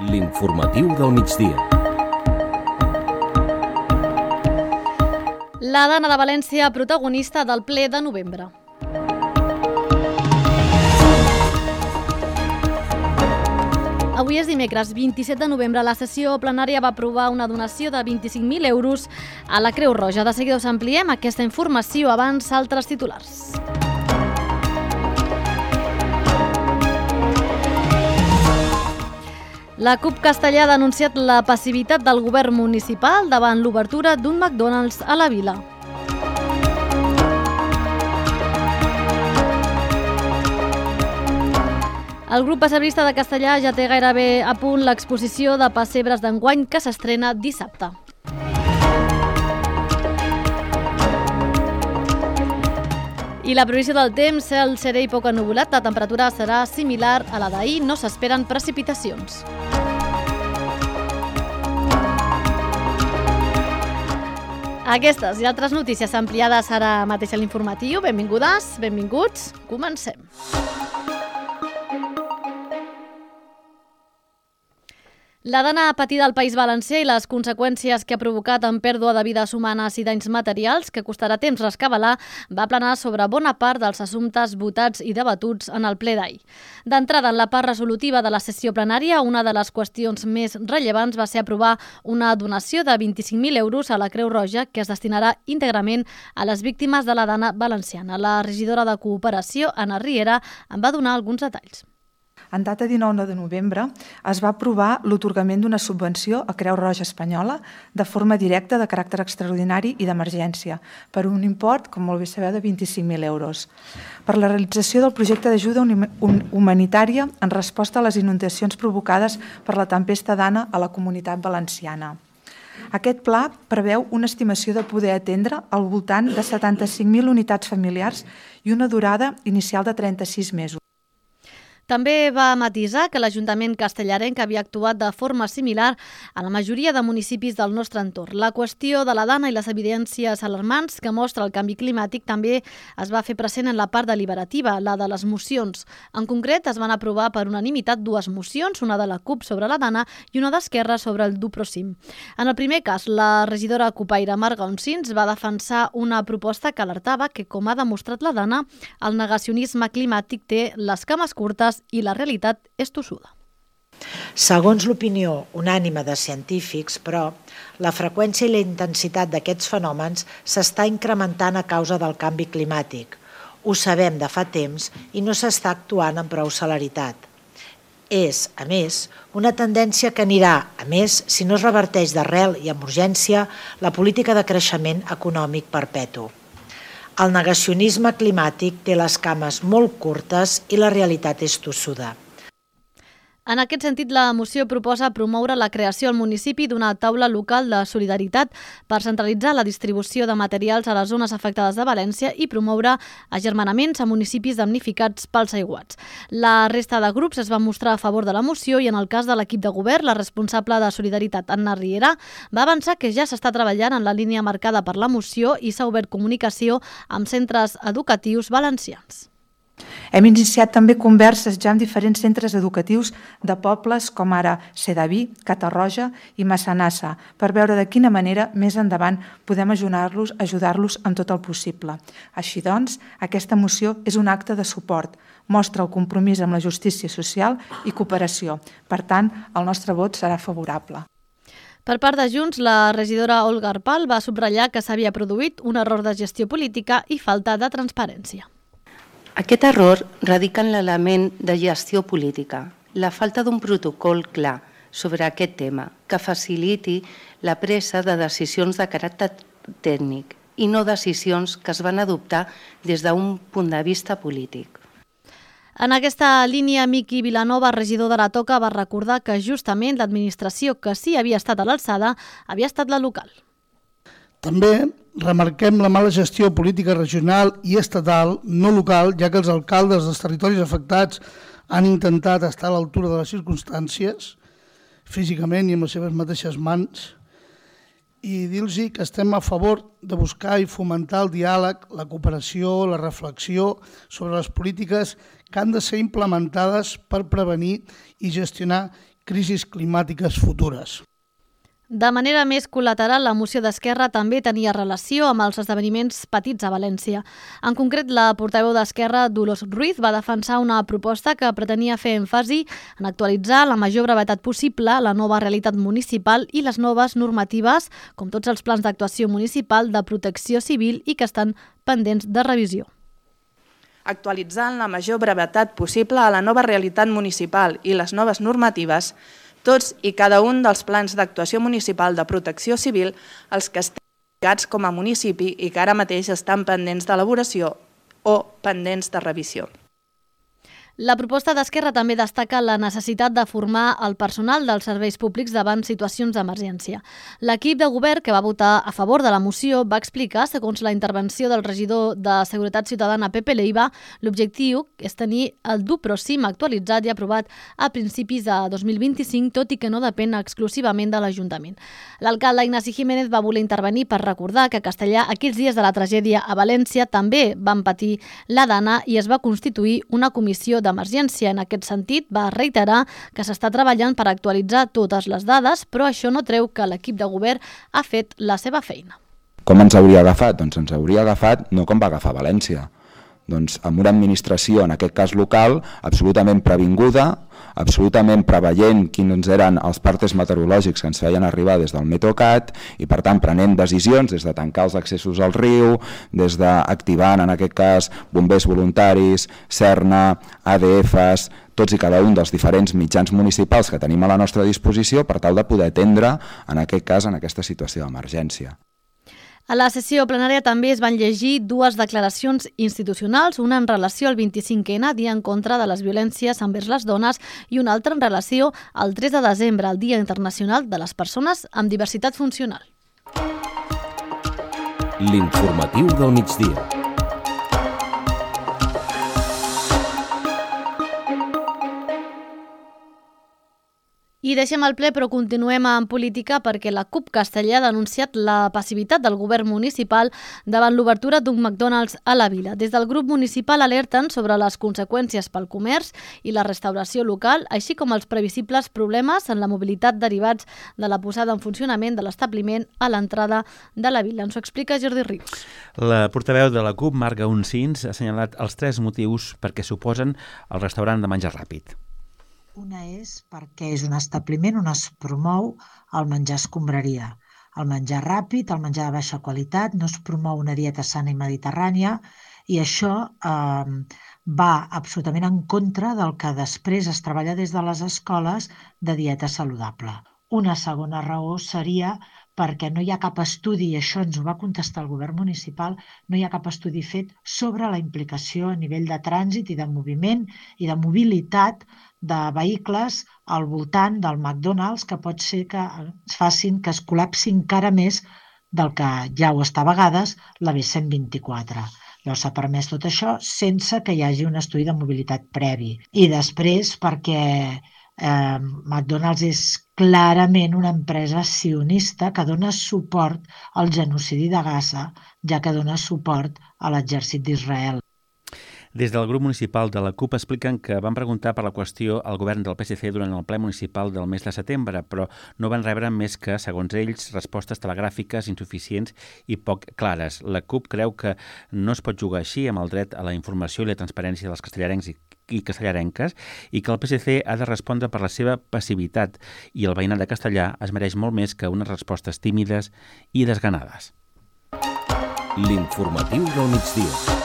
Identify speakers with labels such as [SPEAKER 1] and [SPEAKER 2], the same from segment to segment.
[SPEAKER 1] L'informatiu del migdia.
[SPEAKER 2] La Dana de València, protagonista del ple de novembre. Avui és dimecres, 27 de novembre. La sessió plenària va aprovar una donació de 25.000 euros a la Creu Roja. De seguida us ampliem aquesta informació, abans altres titulars. La CUP Castellà ha denunciat la passivitat del govern municipal davant l'obertura d'un McDonald's a la vila. El grup pessebrista de Castellà ja té gairebé a punt l'exposició de pessebres d'enguany que s'estrena dissabte. I la previsió del temps, cel serè i poc ennuvolat, la temperatura serà similar a la d'ahir, no s'esperen precipitacions. Aquestes i altres notícies ampliades ara mateix a l'informatiu. Benvingudes, benvinguts, comencem. La dana patida al País Valencià i les conseqüències que ha provocat en pèrdua de vides humanes i danys materials, que costarà temps rescabalar, va planar sobre bona part dels assumptes votats i debatuts en el ple d'ahir. D'entrada, en la part resolutiva de la sessió plenària, una de les qüestions més rellevants va ser aprovar una donació de 25.000 euros a la Creu Roja que es destinarà íntegrament a les víctimes de la dana valenciana. La regidora de Cooperació, Anna Riera, en va donar alguns detalls.
[SPEAKER 3] En data 19 de novembre es va aprovar l'atorgament d'una subvenció a Creu Roja Espanyola de forma directa de caràcter extraordinari i d'emergència per un import, com molt bé sabeu, de 25.000 euros per la realització del projecte d'ajuda humanitària en resposta a les inundacions provocades per la tempesta Dana a la Comunitat Valenciana. Aquest pla preveu una estimació de poder atendre al voltant de 75.000 unitats familiars i una durada inicial de 36 mesos.
[SPEAKER 2] També va matisar que l'Ajuntament castellarenc havia actuat de forma similar a la majoria de municipis del nostre entorn. La qüestió de la dana i les evidències alarmants que mostra el canvi climàtic també es va fer present en la part deliberativa, la de les mocions. En concret, es van aprovar per unanimitat dues mocions, una de la CUP sobre la dana i una d'Esquerra sobre el Duprosim. En el primer cas, la regidora cupaire Marga Oncins va defensar una proposta que alertava que, com ha demostrat la dana, el negacionisme climàtic té les cames curtes i la realitat és tossuda.
[SPEAKER 4] Segons l'opinió unànime de científics, però, la freqüència i la intensitat d'aquests fenòmens s'està incrementant a causa del canvi climàtic. Ho sabem de fa temps i no s'està actuant amb prou celeritat. És, a més, una tendència que anirà, a més, si no es reverteix d'arrel i amb urgència, la política de creixement econòmic perpetu. El negacionisme climàtic té les cames molt curtes i la realitat és tossuda.
[SPEAKER 2] En aquest sentit, la moció proposa promoure la creació al municipi d'una taula local de solidaritat per centralitzar la distribució de materials a les zones afectades de València i promoure agermanaments a municipis damnificats pels aiguats. La resta de grups es van mostrar a favor de la moció i en el cas de l'equip de govern, la responsable de Solidaritat, Anna Riera, va avançar que ja s'està treballant en la línia marcada per la moció i s'ha obert comunicació amb centres educatius valencians.
[SPEAKER 3] Hem iniciat també converses ja amb diferents centres educatius de pobles com ara Sedaví, Catarroja i Massanassa per veure de quina manera més endavant podem ajudar-los en tot el possible. Així doncs, aquesta moció és un acte de suport, mostra el compromís amb la justícia social i cooperació. Per tant, el nostre vot serà favorable.
[SPEAKER 2] Per part de Junts, la regidora Olga Arpal va subratllar que s'havia produït un error de gestió política i falta de transparència.
[SPEAKER 5] Aquest error radica en l'element de gestió política, la falta d'un protocol clar sobre aquest tema que faciliti la presa de decisions de caràcter tècnic i no decisions que es van adoptar des d'un punt de vista polític.
[SPEAKER 2] En aquesta línia, Miqui Vilanova, regidor de la Toca, va recordar que justament l'administració que sí havia estat a l'alçada havia estat la local.
[SPEAKER 6] També remarquem la mala gestió política regional i estatal, no local, ja que els alcaldes dels territoris afectats han intentat estar a l'altura de les circumstàncies, físicament i amb les seves mateixes mans, i dir-los que estem a favor de buscar i fomentar el diàleg, la cooperació, la reflexió sobre les polítiques que han de ser implementades per prevenir i gestionar crisis climàtiques futures.
[SPEAKER 2] De manera més col·lateral, la moció d'Esquerra també tenia relació amb els esdeveniments patits a València. En concret, la portaveu d'Esquerra, Dolors Ruiz, va defensar una proposta que pretenia fer èmfasi en actualitzar la major brevetat possible la nova realitat municipal i les noves normatives, com tots els plans d'actuació municipal de protecció civil i que estan pendents de revisió.
[SPEAKER 7] Actualitzant la major brevetat possible a la nova realitat municipal i les noves normatives, tots i cada un dels plans d'actuació municipal de protecció civil, els que estan lligats com a municipi i que ara mateix estan pendents d'elaboració o pendents de revisió.
[SPEAKER 2] La proposta d'Esquerra també destaca la necessitat de formar el personal dels serveis públics davant situacions d'emergència. L'equip de govern que va votar a favor de la moció va explicar, segons la intervenció del regidor de Seguretat Ciutadana Pepe Leiva, l'objectiu és tenir el dur però cim actualitzat i aprovat a principis de 2025, tot i que no depèn exclusivament de l'Ajuntament. L'alcalde Ignasi Jiménez va voler intervenir per recordar que a Castellà, aquells dies de la tragèdia a València, també van patir la dana i es va constituir una comissió d'emergència. En aquest sentit, va reiterar que s'està treballant per actualitzar totes les dades, però això no treu que l'equip de govern ha fet la seva feina.
[SPEAKER 8] Com ens hauria agafat? Doncs ens hauria agafat no com va agafar València, doncs amb una administració, en aquest cas local, absolutament previnguda, absolutament preveient quins eren els partes meteorològics que ens feien arribar des del Metrocat i per tant prenent decisions des de tancar els accessos al riu, des d'activant en aquest cas bombers voluntaris, Serna, ADFs, tots i cada un dels diferents mitjans municipals que tenim a la nostra disposició per tal de poder atendre en aquest cas en aquesta situació d'emergència.
[SPEAKER 2] A la sessió plenària també es van llegir dues declaracions institucionals, una en relació al 25N, dia en contra de les violències envers les dones, i una altra en relació al 3 de desembre, el Dia Internacional de les Persones amb Diversitat Funcional.
[SPEAKER 1] L'informatiu del migdia.
[SPEAKER 2] I deixem el ple, però continuem en política perquè la CUP Castellà ha denunciat la passivitat del govern municipal davant l'obertura d'un McDonald's a la vila. Des del grup municipal alerten sobre les conseqüències pel comerç i la restauració local, així com els previsibles problemes en la mobilitat derivats de la posada en funcionament de l'establiment a l'entrada de la vila. Ens ho explica Jordi Rius.
[SPEAKER 9] La portaveu de la CUP, Marga Uncins, ha assenyalat els 3 motius perquè s'oposen al restaurant de menjar ràpid.
[SPEAKER 4] Una és perquè és un establiment on es promou el menjar escombraria. El menjar ràpid, el menjar de baixa qualitat, no es promou una dieta sana i mediterrània i això va absolutament en contra del que després es treballa des de les escoles de dieta saludable. Una segona raó seria perquè no hi ha cap estudi, i això ens ho va contestar el govern municipal, no hi ha cap estudi fet sobre la implicació a nivell de trànsit i de moviment i de mobilitat de vehicles al voltant del McDonald's que pot ser que facin que es col·lapsi encara més del que ja ho està a vegades la B124. Llavors s'ha permès tot això sense que hi hagi un estudi de mobilitat previ. I després perquè McDonald's és clarament una empresa sionista que dona suport al genocidi de Gaza, ja que dona suport a l'exèrcit d'Israel.
[SPEAKER 9] Des del grup municipal de la CUP expliquen que van preguntar per la qüestió al govern del PSC durant el ple municipal del mes de setembre, però no van rebre més que, segons ells, respostes telegràfiques insuficients i poc clares. La CUP creu que no es pot jugar així amb el dret a la informació i la transparència dels castellarencs i castellarenques i que el PSC ha de respondre per la seva passivitat i el veïnat de Castellà es mereix molt més que unes respostes tímides i desganades.
[SPEAKER 1] L'informatiu del migdia.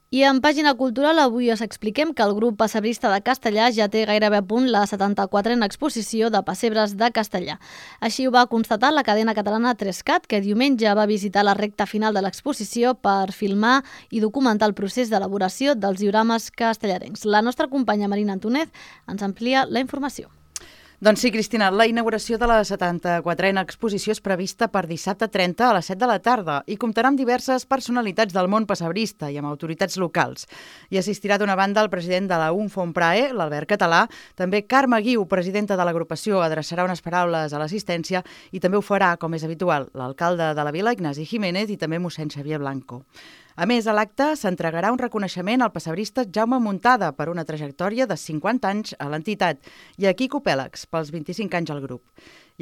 [SPEAKER 2] I en pàgina cultural avui us expliquem que el grup pessebrista de Castellà ja té gairebé a punt la 74a exposició de pessebres de Castellà. Així ho va constatar la cadena catalana 3CAT, que diumenge va visitar la recta final de l'exposició per filmar i documentar el procés d'elaboració dels diorames castellarencs. La nostra companya Marina Antúnez ens amplia la informació.
[SPEAKER 10] Doncs sí, Cristina, la inauguració de la 74a exposició és prevista per dissabte 30 a les 7 de la tarda i comptarà amb diverses personalitats del món pessebrista i amb autoritats locals. Hi assistirà d'una banda el president de la UNFOMPRAE, l'Albert Català, també Carme Guiu, presidenta de l'agrupació, adreçarà unes paraules a l'assistència i també ho farà, com és habitual, l'alcalde de la vila, Ignasi Jiménez, i també mossèn Xavier Blanco. A més, a l'acte s'entregarà un reconeixement al pessebrista Jaume Muntada per una trajectòria de 50 anys a l'entitat i a Quico Pèlex pels 25 anys al grup.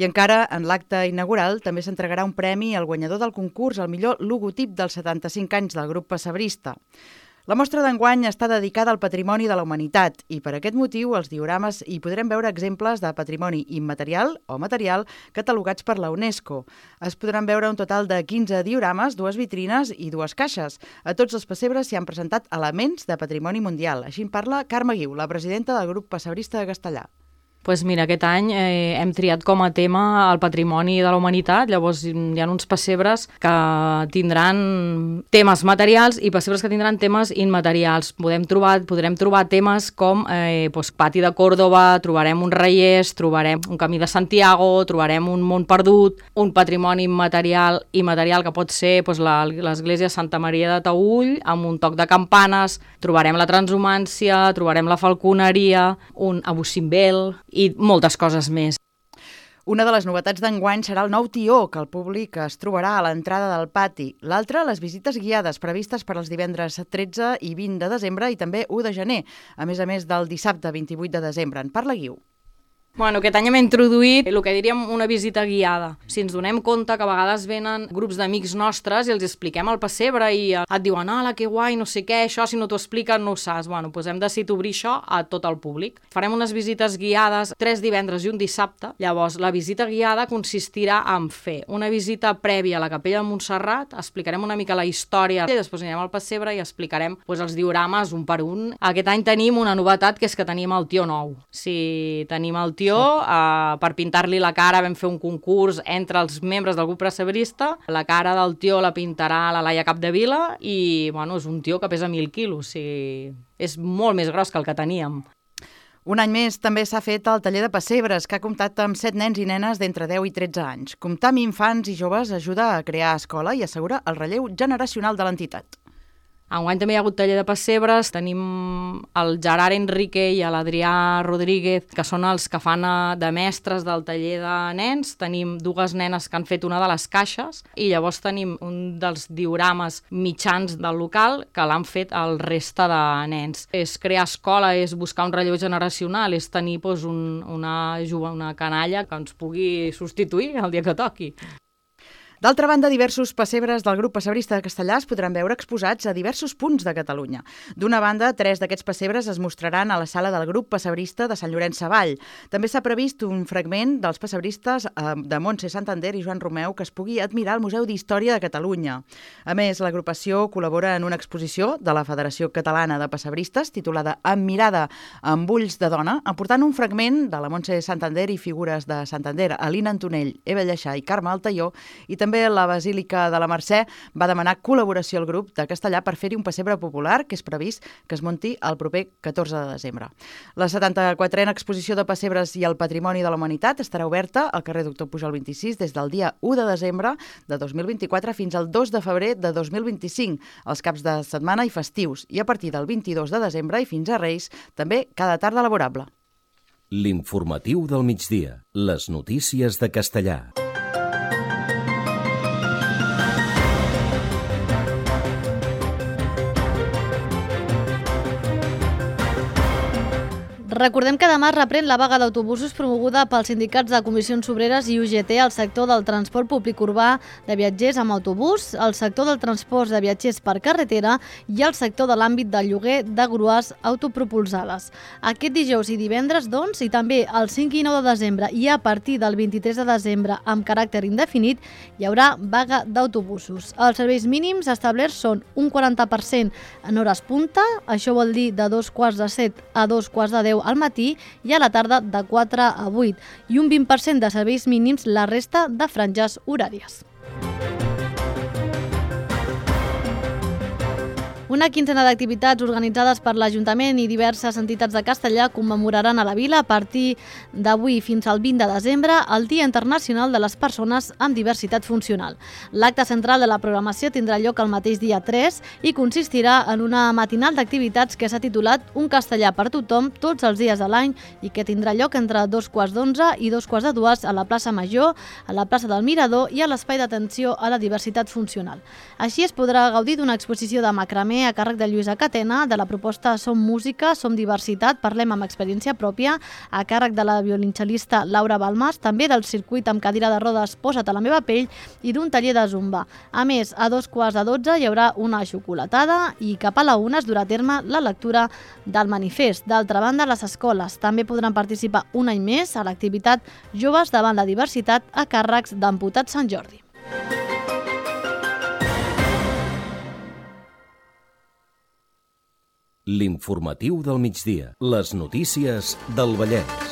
[SPEAKER 10] I encara, en l'acte inaugural, també s'entregarà un premi al guanyador del concurs al millor logotip dels 75 anys del grup pessebrista. La mostra d'enguany està dedicada al patrimoni de la humanitat i per aquest motiu als diorames hi podrem veure exemples de patrimoni immaterial o material catalogats per la UNESCO. Es podran veure un total de 15 diorames, 2 vitrines i 2 caixes. A tots els pessebres s'hi han presentat elements de patrimoni mundial. Així en parla Carme Guiu, la presidenta del grup pessebrista de Castellà.
[SPEAKER 11] Pues mira, aquest any hem triat com a tema el patrimoni de la humanitat, llavors hi ha uns pessebres que tindran temes materials i pessebres que tindran temes immaterials. Podrem trobar temes com Pati de Còrdova, trobarem un Reiers, trobarem un Camí de Santiago, trobarem un Mont Perdut, un patrimoni immaterial que pot ser l'església Santa Maria de Taüll amb un toc de campanes, trobarem la transhumància, trobarem la falconeria, un Abusimbel i moltes coses més.
[SPEAKER 10] Una de les novetats d'enguany serà el nou tió que el públic es trobarà a l'entrada del pati. L'altra, les visites guiades previstes per als divendres 13 i 20 de desembre i també 1 de gener, a més del dissabte 28 de desembre. En parla Guiu.
[SPEAKER 11] Bueno, aquest any hem introduït el que diríem una visita guiada. Si ens donem compte que a vegades venen grups d'amics nostres i els expliquem el pessebre i et diuen ala, que guai, no sé què, això si no t'ho expliquen no ho saps. Bueno, doncs hem decidit obrir això a tot el públic. Farem unes visites guiades 3 divendres i un dissabte. Llavors, la visita guiada consistirà en fer una visita prèvia a la capella de Montserrat, explicarem una mica la història i després anirem al pessebre i explicarem els diorames un per un. Aquest any tenim una novetat, que és que tenim el tió nou. Si tenim el tió per pintar-li la cara vam fer un concurs entre els membres del grup pessebrista. La cara del tió la pintarà la Laia Capdevila i és un tió que pesa 1.000 quilos, és molt més gros que el que teníem.
[SPEAKER 10] Un any més també s'ha fet el taller de pessebres, que ha comptat amb 7 nens i nenes d'entre 10 i 13 anys. Comptar amb infants i joves ajuda a crear escola i assegura el relleu generacional de l'entitat.
[SPEAKER 11] Enguany també hi ha hagut taller de pessebres, tenim el Gerard Enrique i l'Adrià Rodríguez, que són els que fan de mestres del taller de nens. Tenim 2 nenes que han fet una de les caixes i llavors tenim un dels diorames mitjans del local que l'han fet el resta de nens. És crear escola, és buscar un relleu generacional, és tenir una canalla que ens pugui substituir el dia que toqui.
[SPEAKER 10] D'altra banda, diversos pessebres del grup pessebrista de Castellà es podran veure exposats a diversos punts de Catalunya. D'una banda, 3 d'aquests pessebres es mostraran a la sala del grup pessebrista de Sant Llorenç Savall. També s'ha previst un fragment dels pessebristes de Montse Santander i Joan Romeu que es pugui admirar al Museu d'Història de Catalunya. A més, l'agrupació col·labora en una exposició de la Federació Catalana de Pessebristes titulada Amb mirada amb ulls de dona, aportant un fragment de la Montse Santander i figures de Santander, Alina Antonell, Eva Lleixà i Carme Altaió, i també la Basílica de la Mercè va demanar col·laboració al grup de Castellà per fer-hi un pessebre popular que és previst que es munti el proper 14 de desembre. La 74a exposició de pessebres i el patrimoni de la humanitat estarà oberta al carrer Doctor Pujol 26 des del dia 1 de desembre de 2024 fins al 2 de febrer de 2025, els caps de setmana i festius, i a partir del 22 de desembre i fins a Reis, també cada tarda laborable.
[SPEAKER 1] L'informatiu del migdia. Les notícies de Castellà.
[SPEAKER 2] Recordem que demà reprèn la vaga d'autobusos promoguda pels sindicats de Comissions Obreres i UGT al sector del transport públic urbà de viatgers amb autobús, el sector del transport de viatgers per carretera i el sector de l'àmbit del lloguer de grues autopropulsades. Aquest dijous i divendres, doncs, i també el 5 i 9 de desembre i a partir del 23 de desembre amb caràcter indefinit, hi haurà vaga d'autobusos. Els serveis mínims establerts són un 40% en hores punta, això vol dir de 2:45 a 2:10 al matí i a la tarda de 4 a 8 i un 20% de serveis mínims la resta de franges horàries. Una quinzena d'activitats organitzades per l'Ajuntament i diverses entitats de Castellar commemoraran a la vila a partir d'avui fins al 20 de desembre el Dia Internacional de les Persones amb Diversitat Funcional. L'acte central de la programació tindrà lloc el mateix dia 3 i consistirà en una matinal d'activitats que s'ha titulat Un castellà per tothom tots els dies de l'any i que tindrà lloc entre 2:15 i 2:45 a la plaça Major, a la plaça del Mirador i a l'espai d'atenció a la diversitat funcional. Així es podrà gaudir d'una exposició de macramé a càrrec de Lluïsa Catena, de la proposta Som Música, Som Diversitat, Parlem amb experiència pròpia, a càrrec de la violoncel·lista Laura Balmas, també del circuit amb cadira de rodes Posa't a la meva pell i d'un taller de zumba. A més, a 2:15 hi haurà una xocolatada i cap a la 1 es durà a terme la lectura del manifest. D'altra banda, les escoles també podran participar un any més a l'activitat Joves davant la diversitat a càrrecs d'Amputat Sant Jordi.
[SPEAKER 1] L'informatiu del migdia. Les notícies del Vallès.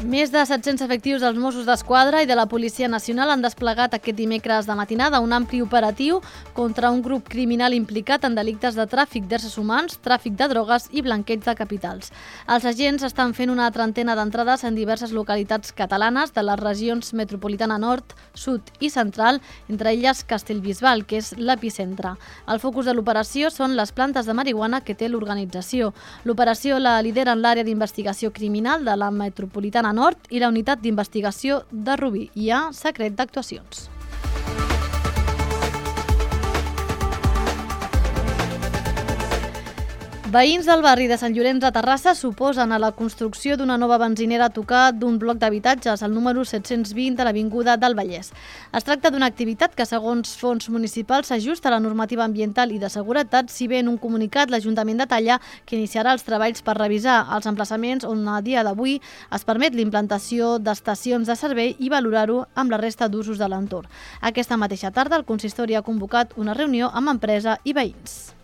[SPEAKER 2] Més de 700 efectius dels Mossos d'Esquadra i de la Policia Nacional han desplegat aquest dimecres de matinada un ampli operatiu contra un grup criminal implicat en delictes de tràfic d'éssers humans, tràfic de drogues i blanqueig de capitals. Els agents estan fent una trentena d'entrades en diverses localitats catalanes de les regions metropolitana nord, sud i central, entre elles Castellbisbal, que és l'epicentre. El focus de l'operació són les plantes de marihuana que té l'organització. L'operació la lideren l'àrea d'investigació criminal de la metropolitana nord i la unitat d'investigació de Rubí. Hi ha secret d'actuacions. Veïns del barri de Sant Llorenç de Terrassa s'oposen a la construcció d'una nova benzinera a tocar d'un bloc d'habitatges, el número 720 de l'Avinguda del Vallès. Es tracta d'una activitat que, segons fons municipals, s'ajusta a la normativa ambiental i de seguretat, si bé en un comunicat l'Ajuntament detalla que iniciarà els treballs per revisar els emplaçaments on a dia d'avui es permet l'implantació d'estacions de servei i valorar-ho amb la resta d'usos de l'entorn. Aquesta mateixa tarda el consistori ha convocat una reunió amb empresa i veïns.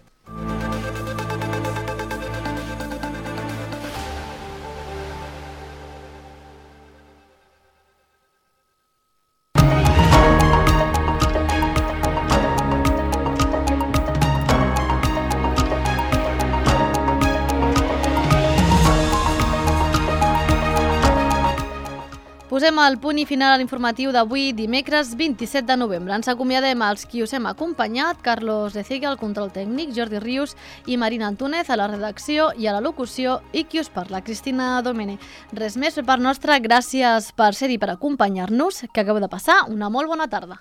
[SPEAKER 2] Posem el punt i final a l'informatiu d'avui, dimecres 27 de novembre. Ens acomiadem als qui us hem acompanyat, Carlos de Cega al control tècnic, Jordi Rius i Marina Antúnez a la redacció i a la locució, i qui us parla, Cristina Domene. Res més per part nostra, gràcies per ser-hi, per acompanyar-nos, que acabeu de passar una molt bona tarda.